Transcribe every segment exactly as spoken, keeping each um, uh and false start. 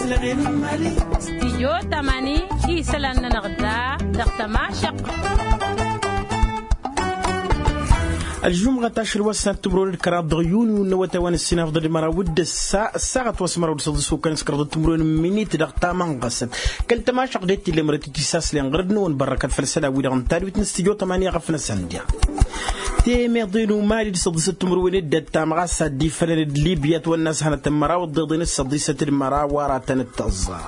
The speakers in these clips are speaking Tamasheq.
Stijyo tamani isălan-nănăɣ da dăɣ-tămašăɣt. Ălžumɣăt ašăl wa s-ad-timǝrwen d-kăraḍ dăɣ-yunyu n-awătay wa n-ǝssin afḍăl d-măraw d-ǝssa ăssaɣăt wa s-măraw d-săḍǝs ukăn s-kăraḍ d-timǝrwen n-minit dăɣ-tamaɣ ɣasăt kăl-tămašăɣt d-e t-illa mărăt i-tisaslen ɣur-dd n-ewăn bărrăkăt făll-isălan-wi-dăɣ n-tadwit n-stijyo tamani ɣăf-năsăn diɣ temeḍe n-umali d-săḍǝsăt timǝrwen d-ăttam ɣas ad-dd-ifălăn d-libya ătwănna s-hănătăn măraw ăḍḍeḍen s-săḍisăt d-măraw wa ratăn-dd-tăẓẓa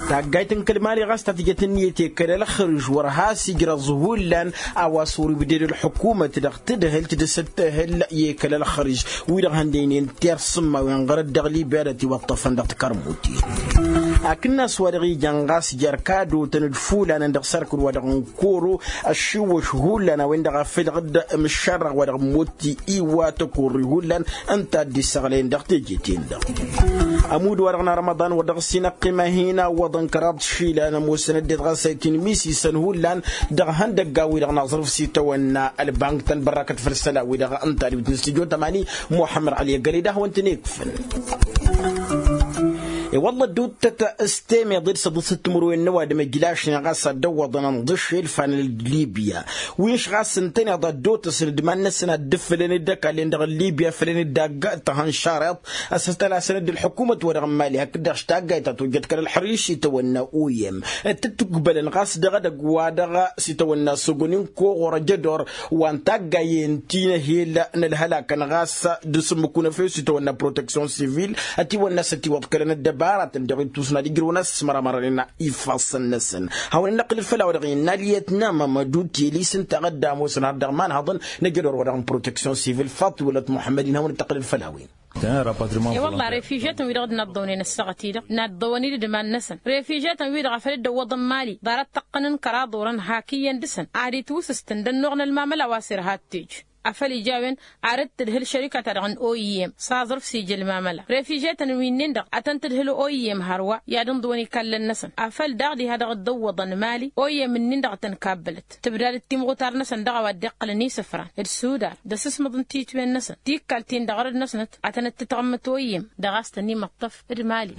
taggayt n-kăl-mali ɣas ta tǝjăt ǝnniyăt i-kăl-ălxărǝž wăr has-ijrăẓ hullan a-wa s-wăr-ibded ălḥukumăt dăɣ-tadhǝlt d-asǝttăhǝl i-kăl-ălxărǝž wi-dăɣ hăndăynen tersǝmmawen ɣărăt dăɣ-libya d-ătiwăṭṭăfăn dăɣ-tikărmut akǝnnas wa dăɣ-ijan ɣas jer-kadotăn d-fulanăn dăɣ-sarkǝl wa dăɣ-n koro ăššiwwăš hullan a-wen-dăɣ a făl dăɣ-dd-mǝššarrăɣ wa dăɣ-n motti iwa tăkorri hullan ǝnta a dd-issăɣlăyăn dăɣ-teje-ten-dăɣ ămudd wa dăɣ-n arămăḍan wa dăɣ-s inăqqima hin-awwăḍăn kăraḍ išilan ămoosăn ăddinăt ɣas a itinmisisăn hullan dăɣ-ihăndăggan-wi-dăɣ n-aẓrǝf s-itawănna ălbank-tăn bărrakăt făll-isălan-wi-dăɣ ǝnta d-witnǝs tijo tămani muḥămmăd ɣăli ăggăled a hawăn-tăn-ikfǝn i-wălla ădduuttăt s-temeḍe d-săḍǝsăt timǝrwen n-ăwadǝm ǝjlašnen ɣas ad-dd-ăwwăḍăn ănḍǝššel fanăl d-libya wi n-š ɣas ǝntăneḍ ad-dd-otăsăn d-iman-năsăn ad-dd-ǝffǝlăn d-ăkallen dăɣ-libya fălăn d-agg tăhănšareḍ ăssătălasăn-dd ălḥukumăt-wa-dăɣ n-mali hakd-dăɣ s-taggayt ta tojjăt kăl-ălxăriš s-itawănna oyem d-tǝttugbălăn ɣas dăɣ-edăgg wa dăɣ-s itawănna sogoni n-koɣor ăjădor wa n-taggayen ti n-ehel n-ălhălakăn ɣas d-asǝmmǝk unăfew s-itawănna proteksyon sivil ătiwănna s-ătiwăḍkălăn ăddăbaratăn dăɣ-ittus n-ad-ǝjrǝwăn a-s măramarănen ifassăn-năsăn hawăn-ănnăqqǝl d-făll-a-wa-dăɣ innă ăliyăt n-amămădu telis ǝnta a dd-ămoosăn har dăɣ-imanhăḍăn n-ajădor wa dăɣ-n proteksyon sivil faḍt iwălăt muḥămmăd-in hawăn-dd-tăqqǝl d-făll-a-wen. I-wălla refižetăn-wi-dăɣ d-inaḍḍăwnen ăssaɣăt-i-dăɣ inaḍḍăwăn-dd d-iman-năsăn refižetăn-wi-dăɣ a făl dd-ăwwăḍăn mali ḍarăt tăqqăn n-kăraḍ orăn hak iyyăn dăɣ-săn ad-itwǝsǝstǝn d-ănnuɣ n-ălmamăla wa s-irha d-tejj afăl ija a-wen ar dd-tǝdhǝl šărika-ta-dăɣ n-oim s-aẓrǝf s-ija ălmamăla refižetăn wi-nin-dăɣ a tăn-tǝdhǝl oim hărwa i-ad-ǝnḍǝwăn ikallăn-năsăn afăl daɣ diha dăɣ-dd-ăwwăḍăn mali oim-nin-dăɣ a tăn-kabbălăt tǝbdad d-timɣutar-năsăn dăɣ-a-wa dd-iqqălăn isǝfran d-sudar d-asǝsmǝḍ n-titwen-năsăn tikkal-tin-dăɣ ărăd-năsnăt a tăn-dd-tǝtɣǝmmǝt oim dăɣ-a-s tăn-imăṭṭăf d-mali.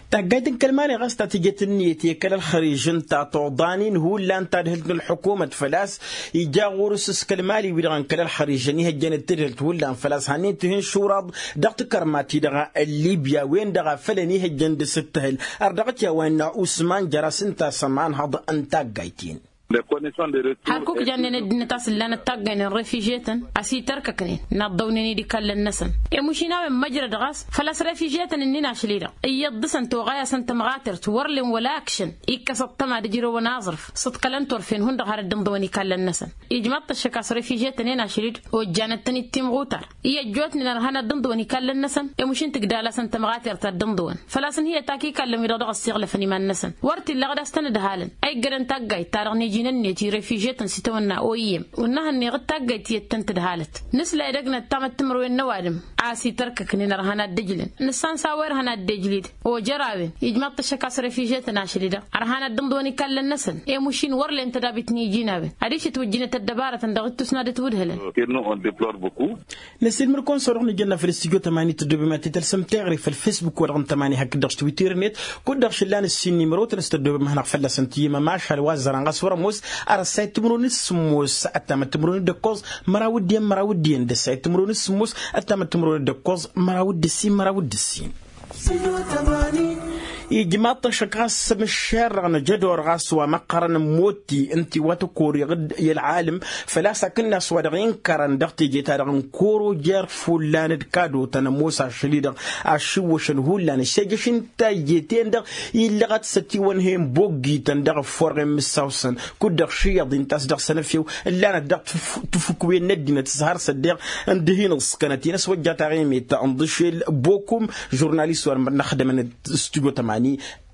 Taggayt n-kăl-mali ɣas ta tǝjăt ǝnniyăt i-kăl-ălxăriž ǝnta tuḍanin hullan tadhǝlt n-ălḥukumăt făl-a-s ija ɣur-s s-kăl-mali-wi-dăɣ n-kăl-ălxăriž ănihăjjăn d-tadhǝlt hullan făl-a-s hannăyăn tihǝnšuraḍ dăɣ-tikărma-ti-dăɣ n-libya wen-dăɣ a făl ănihăjjăn d-asǝttăhǝl ărdăɣăt i-a-wa innă usman jăras ǝnta s-ămanhăḍ n-taggayt-in. Hak ukǝjannen ăddinăt a-s ǝllanăt taggay n-refižetăn a-s itărkăknen naḍḍăwnen-dd ikallăn-năsăn i-mušin a-wen măjrăd ɣas făl-a-s refižetăn-ǝnnin ašăl-i-dăɣ iyyăḍ dăɣ-săn toɣay-asăn tămɣatert wăr len wăla ǝkšăn ikkăs ăṭṭăma d-ǝjrewăn aẓrǝf s-ǝḍkălăn turfen hundăɣ har dd-ǝnḍǝwăn ikallăn-năsăn ijmaḍ-t ăššăk a-s refižetăn-en ašăl-i-dăɣ ojjanăt-tăn-dd timɣutar i-ăjjootnen ărhan ad-dd-ǝnḍǝwăn ikallăn-năsăn i-mušin tǝgdal-asăn tămɣatert ad-dd-ǝnḍǝwăn făl-a-s ǝnhǝyăt ak ikallăn-wi-dăɣ dăɣ-ăssiɣlăfăn iman-năsăn wăr t-illa ɣǝd a-s tăn-ǝdhalăn a iggărăn taggayt-ta-dăɣ n-iji n-ǝnniyăt i-refižetăn s-itawănna oyem wăr nǝhănneɣ d-taggayt tiyyăt tăn-tǝdhalăt nǝsla edăgg n-ăttamăt timǝrwen n-ăwadǝm a-s itărkăknen ărhan ad-dd-ǝjlǝn nǝssan s-a-wa irhăn ad-dd-ejlǝd ojăr a-wen ijmaḍ-t ăššăk a-s refižetăn ašăl-i-dăɣ ărhan ad-dd-ǝnḍǝwăn ikallăn-năsăn i-mušin wăr len tădabit n-iji n-a-wen adiš ǝtwǝjjǝnăt ăddăbarătăn dăɣ-ittus n-ad-ǝtwǝdhǝlăn. Năsiilmăr-kăwăn s-a-wa dăɣ-nǝjănna făll-studyo tămani tăddobem ad-t-tălsăm teɣre făll-facebook-wa-dăɣ n-tămani hakd-dăɣ s-twitter-net kud-dăɣ šăllan ǝssin n-imrotăn s-tăddobem ad-hanăɣ-fălla-săn tiyyăm ămašal wa ăzzărăn ɣas wăr-ămoos. Ar ăssayăt timǝrwen d-sǝmmos ăttamăt timǝrwen d-ǝkkoẓ măraw d-iyyăn măraw d-iyyăn d-ăssayăt timǝrwen d-sǝmmos ăttamăt timǝrwen d-ǝkkoẓ măraw d-ǝssin măraw d-ǝssin. Ijmaḍ-t ăššăk ɣas s-amǝššerrăɣ n-ajădor ɣas wa măqqărăn n-motti ǝnta iwatăkoriɣ-dd i-ălɣalǝm făl-a-s akǝnnas wa dăɣ-inkărăn dăɣ-teje-ta-dăɣ n-kăwăr-ojăr fullan d-kadotăn ămoos ašăl-i-dăɣ ašǝwwăšăn hullan ăššejăš n-tajje-ten-dăɣ illăɣăt s-ătiwănhăyăn boggităn dăɣ-ăfforɣen mǝssawsăn kud-dăɣ šiyyăḍ-in ta s-dăɣ-săn efew ǝllanăt dăɣ-tǝfukwen n-ăddinăt s-har s-ăddeɣ n-dd-hin-ǝẓkănăt-in ăswăjja taɣimit n-ḍǝšel bokum žurnalist wa dăɣ-măr n-ăxdămăn studyo tămani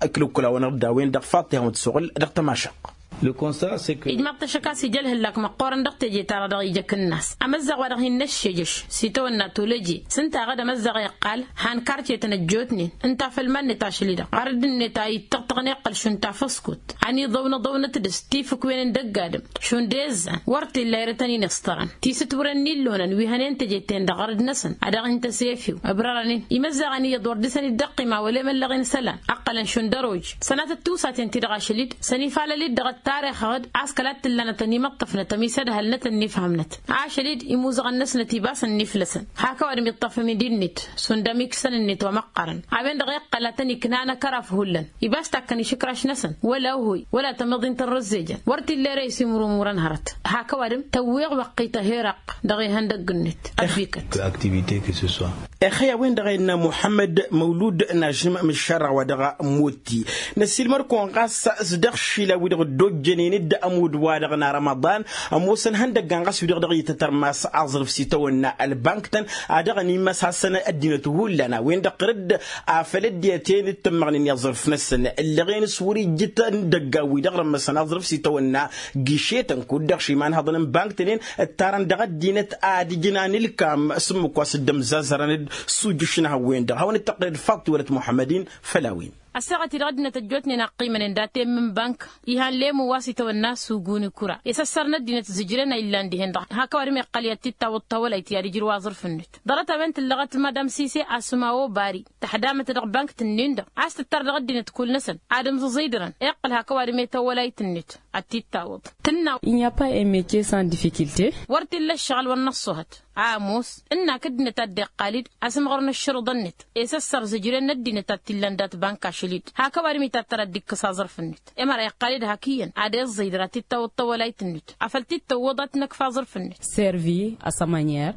ăklăwkălawăn-dăɣ d-a-wen-dăɣ faḍt ihawăn-t-suɣǝl dăɣ-tămašăɣt. Ijmaḍ-t ašăk a-s ija ălhǝllak măqqoorăn dăɣ-teje-ta-dăɣ dăɣ-ija akǝnnas amăzzaɣ wa-dăɣ hin-năššejăš s-itawănna tolăje s-ǝnta aɣăd amăzzaɣ iqqal han karcetăn ăjjootnen ǝnta făll-iman-net ašăl-i-dăɣ ɣarădd-net a ittăɣtăɣăn iqqăl šund tafăskut ăniḍăwnăḍăwnăt dăɣ-s tifǝkwen n-dăgg-adǝm šund ezzan wăr t-illa irătăn-in iṣtărăn tisǝtwǝrăn n-illonăn wi hănen teje-ten-dăɣ ɣărăd-năsăn ad-dăɣ-hin-tăsefiw ǝbrărăn-in imăzzaɣăn iyyăḍ wăr dăr-săn dd-ăqqima wăla emăllăɣ-in isălan ăqqălăn šund ăroj sănatăt tiwsaten-ti-dăɣ ašăl-dd sănifalăl-dd dăɣ-ăttarix-ăɣ-dd a-s kăla t-tǝllanăt ănimăṭṭăfnăt ămisădhălnăt ănnifhămnăt ašăl-dd imuzăɣăn-năsnăt ibas ănniflăsăn hak ăwadǝm iṭṭăfăm-dd-net šund ămikǝsăn-net wa măqqărăn a-wen-dăɣ iqqăl ad-tăn-iknan ăkăraf hullan ibas takkăn išǝkraš-năsăn wăla ohoy wăla tămiḍint n-rǝzzejăn wăr t-illa ere isimurǝmurăn hărăt hak ăwadǝm tăwweɣ wăqqităh irăqq dăɣ-ihăndăgg-net ăbbikăt. Ăktivite kǝsǝswa. Ixăy a-wen-dăɣ a innă muḥămmăd măwlud n-ažǝm mǝššarăɣ wa dăɣ-motti năssiilmăr-kăwăn ɣas s-dăɣ-išilan wi-dăɣ dd-ojjănen d-ămudd-wa-dăɣ n-arămăḍan ămoosăn ihăndăggan ɣas wi-dăɣ dăɣ-itătărmas aẓrǝf s-itawănna ălbank-tăn a dăɣ-ănimăsasăn ăddinăt hullan a-wen-dăɣ tărǝdd afăl ăddinăt-en dd-tǝmmăɣnen i-aẓrǝf-năsăn ǝllăɣen s-wăr-ijjǝt n-idăggan wi-dăɣ rămmăsăn aẓrǝf s-itawănna giše-tăn kud-dăɣ šimanhăḍăn n-bank-tăn-en ǝttarăn dăɣ-ăddinăt ad-ǝjnan ǝlkam s-ǝmmǝk wa s-dd-ămzazărăn-dd s-ujǝš n-ehăwwen-dăɣ hawăn-dd-tăqqǝlăd faḍt tiwălăt muḥămmăd-in. Făll-a-wen. Ăssaɣăt-i dăɣ-ăddinăt ăjjootnen a ăqqiimănen dat-en n-bank ihan lemmu wa s-itawănna sugun ikura i-săssar n-ăddinăt zǝjren a illan dihen-dăɣ hak ăwadǝm iqqăl i-ad-t-dd-tawǝḍ tawălayt i-ad-ǝjrǝw aẓrǝf-net ḍarăt a-wen tǝllăɣăt madam sise asǝmawo bari tăḥdamăt dăɣ-bank-tǝnnin-dăɣ a-s tǝttar dăɣ-ăddinăt kull-năsăn ad-ǝmẓǝẓǝydărăn iqqăl hak ăwadǝm i-tawălayt-net ad-t-dd-tawǝḍ tǝnna. Il n'y a pas un metier sans difficulté. Wăr t-illa ǝššăɣǝl wăr năṣṣuhăt a ămoos ǝnnak ăddinăt a dd-iqqal-dd asǝmɣăr n-ǝššǝrǝḍăn-net i-săssăr zǝjren n-ăddinăt a t-illan dat-bank ašăl-dd hak ăwadǝm-i tattăr ad-dd-ikkǝs aẓrǝf-net. Emăra iqqal-dd hak iyyăn ad-iẓẓǝydăr ad-t-dd-tawǝḍ tawălayt-net afăl t-dd-tăwwăḍ ad-t-năkf aẓrǝf-net. Servi a sa manier.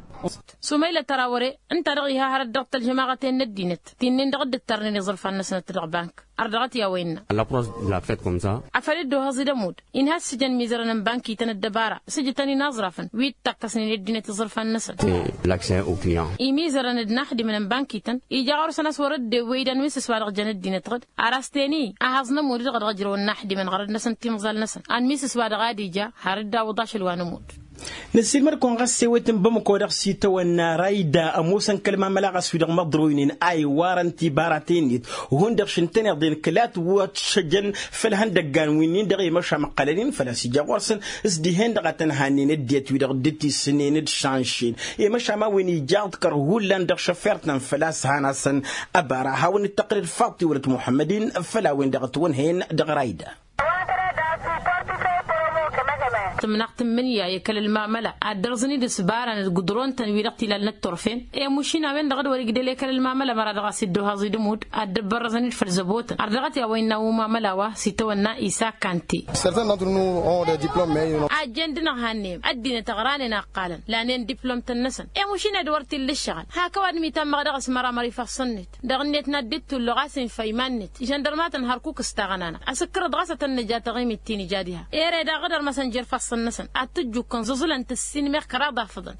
Sumaylăt ărawăre ǝnta-dăɣ iha hărăt dăɣ-tălžămaɣăt-en n-ăddinăt ti-nin-dăɣ dd-ǝttărnen iẓrǝfan-năsnăt dăɣ-bank. Ărdăɣăt i-a-wa innă. Afăl dd-ohăẓ-dd ămudd inha ăssijăn mizărăn n-bankităn ăddăbara s-ǝjǝtăn-in aẓrafăn wi dd-takkăsnen i-ăddinăt iẓrǝfan-năsăn. Imizărăn d-inaxdimăn n-bankităn ija ɣur-săn a-s wăr-dd-ewwey idan wi n-sǝs wa dăɣ-jăn ăddinăt ɣǝd ar a-s ten-i ahăẓ n-ămudd-dăɣ dăɣ-ǝjrăwăn inaxdimăn ɣărăd-năsăn timẓal-năsăn anmi sǝs wa dăɣ-ad-ija har dd-awǝḍ ašăl wa n-ămudd. Năssiilmăd-kăwăn ɣas ewet n-bamăko dăɣ-s itawănna rayda ămoosăn kăl-mamăla ɣas wi-dăɣ măḍroynen a iwarăn tibaraten-net. Hundăɣ šǝntăneḍ-en kăla t-wăt šăjăn făll-ihăndăggan wi-nin-dăɣ i-măšan ǝqqălăn-in făl-a-s ija ɣur-săn s-dihen-dăɣ a tăn-hannen ăddinăt wi-dăɣ dd-tisǝnnen d-šanšen i-măšan ma-wen ija aḍkăr hullan dăɣ-šăfert-năn făl-a-s han-asăn. Ăbara a hawăn-dd-tăqqǝlăd faḍt tiwălăt muḥămmăd-in făll-a-wen-dăɣ ătwănhăyăn dăɣ-rayda. Tǝmnaɣ tǝmmǝnǝya i-kăl-ălmamăla ad-dărẓǝn-dd s-ibaran d-gudron-tăn wi-dăɣ tilalnăt turfen i-mušin a-wen-dăɣ d-wăr-igdăl i-kăl-ălmamăla măra dăɣ-a-s dd-ohaẓ-dd ămudd ad-dd-ăbbărrăẓăn-dd făll-zăbotăn ărdăɣăt i-a-wa innă umamăla wa s-itawănna isakante. Ajjen dăɣ-năɣ hannem ăddinăt ăɣranen a ǝqqalăn lanen diplom-tăn-năsăn i-mušin ad-wăr t-illa ǝššăɣǝl hak ăwadǝm itammăɣ dăɣ-s măramăr ifassăn-net. Dăɣ-net n-ad-dd-tulluɣ a-s infa iman-net ižăndărmatăn hărkuk s-taɣănanăɣ asǝkkărăḍ ɣas ad-tăn-nǝja taɣimit ti nǝja diha. Ere daɣ dd-ărmăsăn jer-ifassăn-năsăn ad-t-ǝjjukkăn ẓǝẓǝlăn tǝssin meɣ kăraḍ afǝḍăn.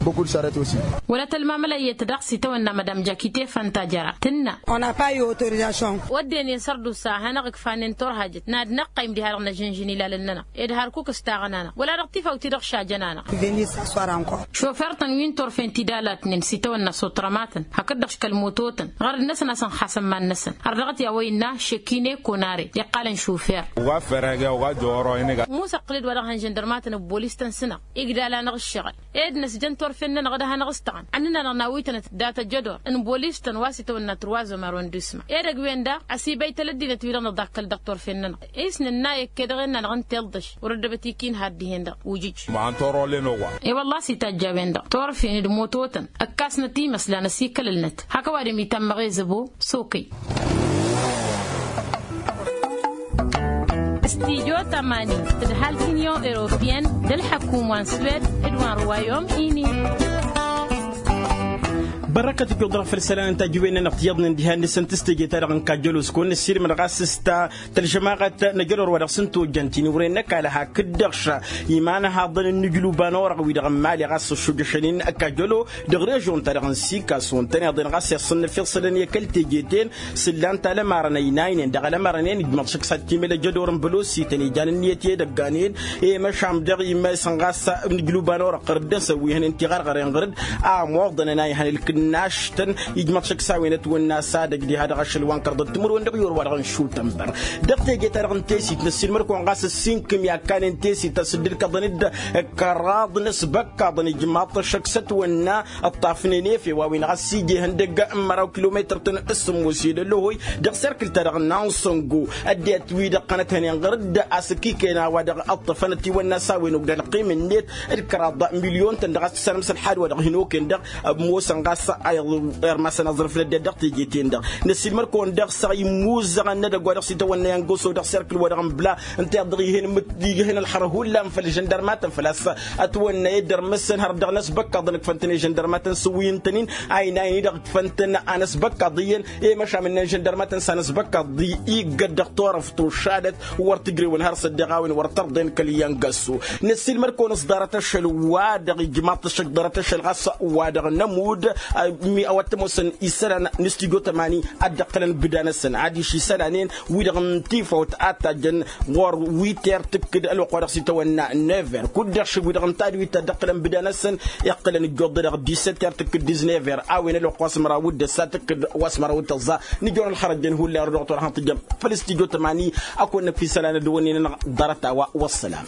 Wăla tălmamăla iyyăt daɣ s-itawănna madam jakite fanta jăra tǝnna. Wădden i-sărdusa a hanăɣ-ǝkfanen turhajăt n-ad-năqqăym diha-dăɣ năžǝnžǝn ilalăn-nănăɣ ed hărkuk s-taɣănanăɣ wăla dăɣ-tifawt-i-dăɣ šajăn-anăɣ. Šofer-tăn wi n-turfen tidalatnen s-itawănna s-otrămatăn hakd-dăɣ škăl mototăn ɣărăd-năsăn a-s ănxasăn iman-năsăn. Ărdăɣăt i-a-wa innă šekine konare iqqalăn šofer. Musa ǝqqǝl-dd wa dăɣ-hăn žăndărmatăn ăbbolis-tăn s-năɣ igdal-anăɣ ǝššăɣǝl ed năsjăn turfen-nănăɣ d-ad-hanăɣ-ǝstăɣăn ănnăn-anăɣ nawitănăt data jădor n-bolis-tăn wa s-itawănna turwazămar wăndusma edăgg-wen-daɣ ăsibăytăl ăddinăt-wi-dăɣ nǝḍakkăl dăɣ-turfen-nănăɣ. Isnǝnna ekked dăɣ-en-nănăɣ n-tiḍǝš wăr-ăddăbăt ikinhad dihen-dăɣ ujǝj. E-wălla a-s itajj a-wen-dăɣ turfen d-mototăn ǝkkasnăt imăslan ăsikălălnăt hak ăwadǝm itammăɣ i-zăbo. S-okăy. Studyo tămani tǝdhal t-inyon europeyăn d-ălḥăkum wa n-swed d-wa n-ruwayom ini. Ărrăkăt ǝjjuḍ-dăɣ făll-isălan n-tajǝwen-nănăɣ tiyyăḍnen diha-net s-tăn-tǝstejăt-ta-dăɣ n-kajjălos kăwăn-năssiilmăd ɣas s-ta tălžămaɣăt n-ajădor wa dăɣ-s n-tojjăn ti n-uren n-ăkall a hakd-dăɣ iman ăhaḍăn n-inǝjluban orăɣ wi-dăɣ n-imali ɣas ăššujăšăn-in kajjălo dăɣ-režion-ta-dăɣ n-sikaso ǝntăneḍ-en ɣas i-ăṣṣăn n-efeɣ isălan i-kăl-teje-ten. S-ǝllan-t alămarăn-ăynaynen dăɣ-alămarăn-en ijmăḍ šăkk s-ad-timǝl ajădor n-bălosi tăn-ijanăn iyyăt i-edăggan-en i-măšan dăɣ-imăsăn ɣas n-ǝjluban orăɣ ɣăr-dd ănsa wi hănen tiɣărɣăren ɣăr-dd a ămoḍăn ănay hăn ǝlkǝnnaš-tăn. Ijmăḍ šăkk s-a-wen ătwănna s-ad-ăj diha dăɣ-ašăl wa n-kărḍăt timǝrwen dăɣ-iwăr wa-dăɣ n-išutănbăr dăɣ-teje-ta-dăɣ n-tesit năssiilmăd-kăwăn ɣas ăssinkǝm i-akkănen tesit a-s dd-ǝlkăḍăn-dd kăraḍ n-asbăkkaḍăn ijmaḍ-t ăššăk s-ătwănna. Ǝṭṭafnen efew a-wen ɣas ija ihăndăgg n-măraw kilometăr-tăn s-sǝmmos i-dd-ălluhăy dăɣ-serkǝl-ta-dăɣ n-ansăngo ăddinăt wi-dăɣ qănăt hănen ɣăr-dd a-s ǝkikăyăn a-wa-dăɣ ǝṭṭăfăn ătiwănna s-a-wen ogdăn ăqqim-net d-kăraḍ milyon-tăn dăɣ-a-s tǝssanăm s-ălxad wa dăɣ-hin-okăyăn dăɣ-ămoosăn ɣas a irmasăn aẓrǝf n-ăddinăt dăɣ-teje-ten-dăɣ. Năssiilmăd-kăwăn dăɣ-săɣ immuzăɣăn n-edăgg wa dăɣ-s itawănna i-ăngosăw dăɣ-serkǝl wa dăɣ-nǝbla ǝnta i-dăɣ ihăn ǝmmǝt ihăn ălxărăt hullan făll-žăndărmatăn făl-a-s ătwănna i-dd-ărmǝsăn hărăt dăɣ-inăsbăkkaḍăn ǝkfăn-tăn i-žăndărmatăn s-wi ǝntănin a inayăn-i-dăɣ ǝkfăn-tăn anăsbăkkaḍ iyyăn i-măšan n-inănžăndărmatăn s-anăsbăkkaḍ iggăt dăɣ-turăft tošadăt wăr tǝjrewăn har s-ăddeɣ a-wen wăr tărḍen kăl-iyyăn găsu. Năssiilmăd-kăwăn s-ḍarăt ašăl-wa-dăɣ ijmaḍ-t ăššăk ḍarăt ašăl ɣas wa-dăɣ n-ămudd a-wa t-ămoosăn isălan n-stujo tămani ad-dd-ǝqqǝlăn bǝda-năsăn adiš isălan-en wi-dăɣ n-tifawt a tajjăn ɣur-witer tǝkkǝd ălwăqq wa dăɣ-s itawănna never kud-dăɣ šǝbwi-dăɣ n-tadwit ta dd-ǝqqǝlăn bǝda-năsăn. Iqqǝlăn ǝjjuḍ-dăɣ disetter tǝkkǝd diznevăr a-wen ălwăqq wa s-măraw d-ăssa tǝkkǝd wa s-măraw d-tăẓẓa. Nǝjor ălxărăjjăn hullan ru-dăɣ turhănt tǝjjăm făll-stujo tămani. Ad-kăwăn-năkf isălan ad-dăwănnen-anăɣ ḍarăt-a-wa. Wăssălam.